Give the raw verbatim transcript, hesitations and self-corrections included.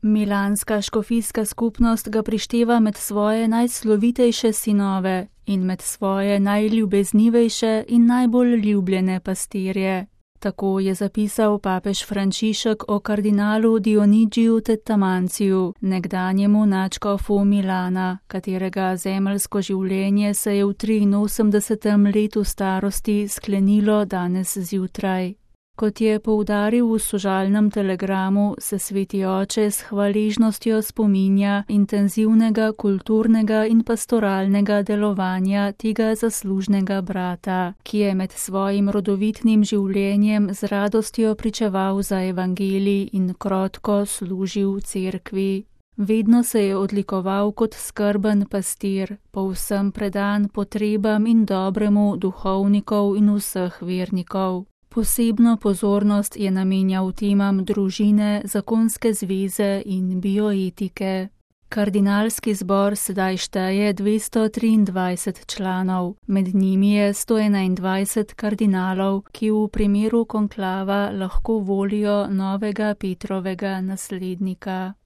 Milanska škofijska skupnost ga prišteva med svoje najslovitejše sinove in med svoje najljubeznivejše in najbolj ljubljene pastirje. Tako je zapisal papež Frančišek o kardinalu Dionigiju Tettamanciju, nekdanjemu nadškofu Milana, katerega zemeljsko življenje se je v triinosemdesetem letu starosti sklenilo danes zjutraj. Kot je poudaril v sožalnem telegramu, se sveti oče s hvaležnostjo spominja intenzivnega kulturnega in pastoralnega delovanja tega zaslužnega brata, ki je med svojim rodovitnim življenjem z radostjo pričeval za evangelij in krotko služil cerkvi. Vedno se je odlikoval kot skrben pastir, povsem predan potrebam in dobremu duhovnikov in vseh vernikov. Posebno pozornost je namenjal temam družine, zakonske zveze in bioetike. Kardinalski zbor sedaj šteje dvesto triindvajset članov, med njimi je sto enaindvajset kardinalov, ki v primeru konklava lahko volijo novega Petrovega naslednika.